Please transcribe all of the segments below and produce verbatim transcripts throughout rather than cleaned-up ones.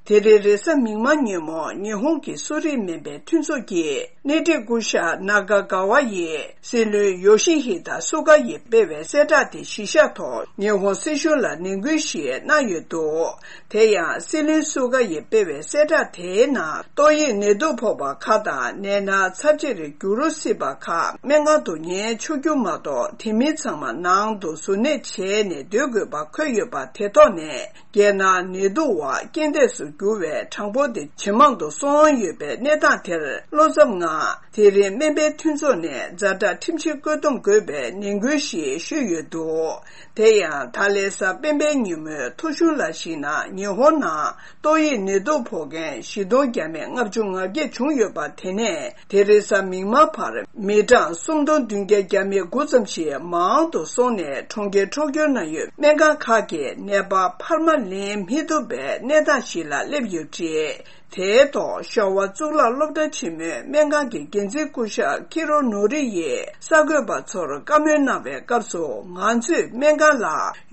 དེ་རིང་རེས་གཟའ་མིག་དམར་ཉིན་མོ་ཉི་ཧོང་གི་གསོ་རིག་སྨན་པའི་མཐུན་ཚོགས་ཀྱིས་སྣེ་ཁྲིད་སྐུ་ཞབས་ནཱ་ག་ག་ཝ་ཡིས་སྲིད་བློན་ཡོ་ཤི་ཧི་ད་སུ་ག་ཡིས་སྤེལ་བའི་གསལ་བསྒྲགས་དེ་གཞི་བཞག་ཐོག་ཉི་ཧོང་སྲིད་གཞུང་ལ་ནན་སྐུལ་ཞིག་གནང་ཡོད་འདུག་དེ་ཡང་སྲིད་བློན་སུ་ག་ཡིས་སྤེལ་བའི་གསལ་བསྒྲགས་དེའི་ནང་ཏོག་དབྱིབས་ནད་དུག་ཕོག་པ་ཁག་དང་ནད་མནར་ཚབས་ཆེར་འགྱུར་སྲིད་པ་ཁག་སྨན་ཁང་དུ་ཉལ་ཆོག་རྒྱུ་མ་གཏོགས། དེ་མིན་ཚང་མ་ནང་དུ་གཟུར་གནས་བྱས་ནས་སྡོད་དགོས་པ་འཁོད་ཡོད་པ་དེ་ཐོག་ནས། རྒྱལ་ནང་ནད་དུག་འོག་རྐྱེན་འདས་སུ་གྱུར་བའི་གྲངས་འབོར་དེ་ཇེ་མང་དུ་སོང་ཡོད་པའི་གནས་སྟངས་དེར་བློ་འཚབ་ངང་། དེ་རིང་སྨན་པའི་མཐུན་ཚོགས་ནས་ཛ་དྲག་ཁྲིམས་ཆད་བཀོད་འདོམས་དགོས་པའི་ནན་སྐུལ་ཞིག་ཞུས་ཡོད་འདུག་དེ་ཡང་ད་ལན་གཟའ་སྤེན་པའི་ཉིན་མོའི་ཐོ་གཞུང་ལ་གཞིགས་ན། ཉི་ཧོང་ནང་ཏོག་དབྱིབས་ནད་དུག་ཕོག་མཁན་བཞི་སྟོང་བརྒྱ་མེད་ལྔ་བཅུ་ང་བརྒྱད་བྱུང་ཡོད་པ། དེ་ནས་དེ་རིང་གཟའ་མིག་དམར་བར་མི་གྲངས་སུམ་སྟོང་བདུན་བརྒྱ་གྱ་མེད་དགུ་ཙམ་ཞིག་མང་དུ་སོང་ནས། གྲོང་ཁྱེར་ཁྲོ་ཁྱོ་ན་ཡོད་སྨན་ཁང་ཁག་གིས་ནད་པ་འཕར་མ་ལེན་མི་ཐུབ་པའི་གནས་སྟངས་ཤིག་ལ་སླེབས་ཡོད་པ་རེད། དེའི་ཐོག་ཤོ་ཝ་གཙུག་ལག་སློབ་གྲྭ་ཆེན་མོའི་སྨན་ཁང་གི་འགན་འཛིན་སྐུ་ཞབས་ཁི་རོ་ནོ་རི་ཡིས་གསར་འགོད་པ་ཚོར་བཀའ་མོལ་གནང་བའི་སྐབས་སུ། ང་ཚོའི་སྨན་ཁང་ལ་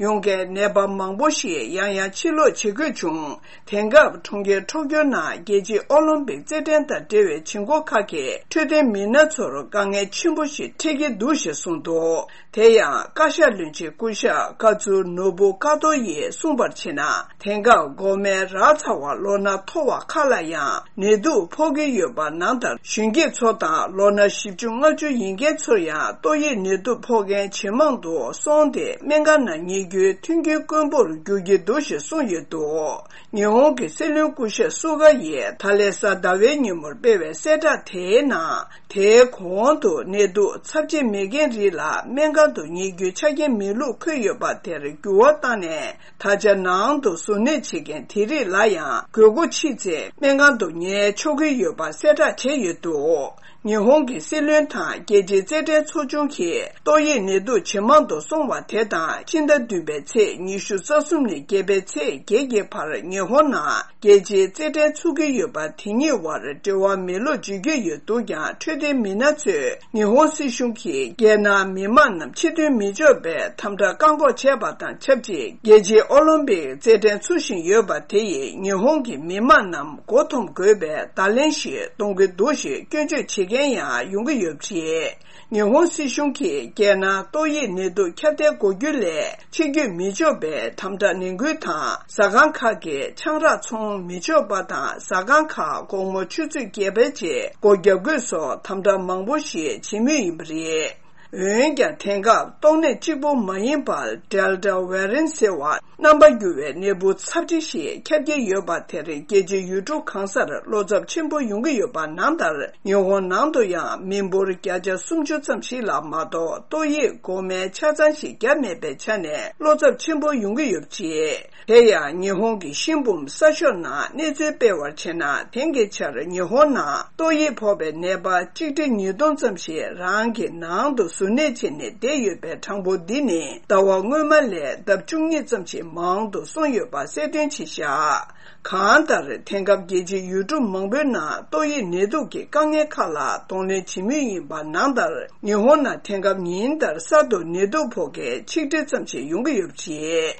ཡོང་མཁན་ནད་པ་མང་པོ་ཞིག་ཡང་ཡང་ཕྱིར་ལོག་བྱེད་དགོས་བྱུང་། དེང་སྐབས་གྲོང་ཁྱེར་ཁྲོ་ཁྱོ་ན་རྒྱལ་སྤྱིའི་ཨོ་ལིམ་པིག་རྩེད་འགྲན་དང་འབྲེལ་བའི་བྱེད་སྒོ་ཁག་གི་འཕྲོད་བསྟེན་མི་སྣ་ཚོར་དཀའ་ངལ་ཆེན་པོ་ཞིག་འཕྲད་ཀྱི་འདུག་ཞེས་གསུངས་འདུག་དེ་ཡང་བཀའ་ཤག་བློན་ཆེན་སྐུ་ཞབས་ཀ་ཙུ་ནོ་བུ་ཀ་ཏོ་ཡིས་གསུངས་པར་བྱས་ན། དེང་སྐབས་འགོག་སྨན་རག་ཚར་བ་ལོ་ན་མཐོ་བ་ཁག་ལ་ཡང་ནད་དུག་ཕོག་གི་ཡོད་པ་ནང་ལྟར། གཞོན་སྐྱེས་ཚོ་དང་ལོ་ན་བཞི་བཅུ་ལྔ་བཅུ་ཡིན་མཁན་ཚོར་ཡང་ཏོག་དབྱིབས་ནད་དུག་ཕོག་མཁན་ཇེ་མང་དུ་སོང་སྟེ། སྨན་ཁང་ནང་ཉལ་རྒྱུའི་མཐུན་རྐྱེན་དཀོན་པོར་འགྱུར་གྱི་འདུག་ཞེས་གསུངས་ཡོད་འདུག་ཉི་ཧོང་གི་སྲིད་བློན་སྐུ་ཞབས་སུ་ག་ཡིས་ད་ལན་གཟའ་ཟླ་བའི་ཉིན་མོར་སྤེལ་བའི་གསལ་བསྒྲགས་དེའི་ནང་། དེའི་གོང་དུ་ནད་དུག་ཚབས་ཆེ་མེད་མཁན་རིགས་ལ་སྨན་ཁང་དུ་ཉལ་རྒྱུའི་ཆ་རྐྱེན་མེད་ལུགས་འཁོད་ཡོད་པ་དེར་འགྱུར་བ་བཏང་ནས། ད་ཆ་ནང་དུ་གཟུར་གནས་བྱེད་མཁན་དེ་རིགས་ལ་ཡང་དགོས་མཁོ་ཕྱིན་ཚེ་སྨན་ཁང་དུ་ཉལ་ཆོག་གི་ཡོད་པ་གསལ་བསྒྲགས་བྱས་ཡོད་འདུག་ཉི་ཧོང་གི་སྲིད་བློན་དང་རྒྱལ་སྤྱིའི་རྩེད་འགྲན་ཚོགས་ཆུང་གིས་ཏོག་དབྱིབས་ནད་དུག་ཇེ་མང་དུ་སོང་བ་དེ་དང་། ཕྱི་ཟླ་བདུན་པའི་ཚེས་ཉི་ཤུ་རྩ་གསུམ་ནས་བརྒྱད་པའི་ཚེས་བརྒྱད་ཀྱི་བར་ཉི་ཧོང་ནང་རྒྱལ་སྤྱིའི་རྩེད་འགྲན་ཚུགས་ཀྱི་ཡོད་པ། དེ་གཉིས་བར་འབྲེལ་བ་མེད་ལུགས་བརྗོད་ཀྱི་ཡོད་འདུག་ཀྱང་། འཕྲོད་བསྟེན་མི་སྣ་ཚོས་ཉི་ཧོང་སྲིད་གཞུང་གིས་རྒྱལ་ནང་མི་མང་རྣམས་ཕྱིར་ཐོན་མི་ཆོག་པའི་དམ་དྲག་བཀག་འགོག་བྱས་པ་དང་ཆབས་ཅིག་རྒྱལ་སྤྱིའི་ཨོ་ལིམ་པིག་རྩེད་འགྲན་ཚུགས་བཞིན་ཡོད་པ་དེ་ཡིས་ཉི་ཧོང་གི་མི་མང་རྣམས་མགོ་འཐོམ་དགོས་པའི་བརྡ་ལན་ཞིག་གཏོང་གི་འདུག་ཞེས་སྐྱོན་བརྗོད་བྱེད་མཁན་ཡང་ཡོང་གི་ཡོད་པ་རེད། ཉི་ཧོང་སྲིད་གཞུང་གིས་རྒྱལ་ནང་ཏོག་དབྱིབས་ནད་དུག་ཁྱབ་གདལ་འགོག་རྒྱུ་ལས་ཕྱིར་སྐྱོད་མི་ཆོག་པའི་དམ་དྲག་ནན་སྐུལ་དང་། ཟ་ཁང་ཁག་གི་ཆང་རག་འཚོང་མི་ཆོག་པ་དང་། ཟ་ཁང་ཁག་དགོང་མོ་ཆུ་ཚོད་བརྒྱད་པའི་རྗེས་སྒོ་རྒྱག་དགོས་སོགས་དམ་དྲག་མང་པོ་ཞིག་བྱེད་མུས་ཡིན་པ་རེད། འོན་ཀྱང་དེང་སྐབས་ཏོག་ནད་གཅིག་པུ་མ་ཡིན་པར་Delta variant་ཟེར་བ་རྣམ་པ་འགྱུར་བའི་ནད་འབུ་ཚབས་ཆེ་ཞིག་ཁྱབ་ཀྱི་ཡོད་པ་དེར་རྒྱལ་སྤྱིའི་ཡུལ་གྲུ་གང་སར་བློ་འཚབ་ཆེན་པོ་ཡོང་གི་ཡོད་པ་ནང་ལྟར། ཉི་ཧོང་ནང་དུ་ཡང་མི་འབོར་བརྒྱ་ཆ་སུམ་ཅུ་ཙམ་ཞིག་ལ་མ་གཏོགས་ཏོག་དབྱིབས་འགོག་སྨན་ཆ་ཚང་ཞིག་བརྒྱབ་མེད་པའི་ཆ་ནས་བློ་འཚབ་ཆེན་པོ་ཡོང་གི་ཡོད་པ་རེད། དེ་ཡང་ཉི་ཧོང་གི་ཤིན་བུམ་གསར་ཤོག་ནང་གནས་ཚུལ་སྤེལ་བར་བྱས་ན། དེང་གི་ཆར་ཉི་ཧོང་ནང་ཏོག་དབྱིབས་ཕོག་པའི་ནད་པ་གཅིག་ཁྲི་ཉིས་སྟོང་ཙམ་ཞིག་རང་གི་ནང་དུ་གཟུར་གནས་བྱས་ནས་བསྡད་ཡོད་པའི་གྲངས་འབོར་འདི་ནི་ཟླ་བ་སྔོན་མ་ལས་ལྡབ་བཅུ་གཉིས་ཙམ་ཞིག་མང་དུ་སོང་ཡོད་པ་གསལ་སྟོན་བྱས་བཞག་གང་ལྟར། དེང་སྐབས་རྒྱལ་སྤྱིའི་ཡུལ་གྲུ་མང་པོའི་ནང་ཏོག་དབྱིབས་ནད་དུག་གི་དཀའ་ངལ་ཁག་ལ་གདོང་ལེན་བྱེད་མུས་ཡིན་པ་ནང་ལྟར། ཉི་ཧོང་ནང་དེང་སྐབས་ཉིན་ལྟར་གསར་དུ་ནད་དུག་ཕོག་མཁན་ཆིག་ཁྲི་ཙམ་ཞིག་ཡོང་གི་ཡོད་པ་རེད།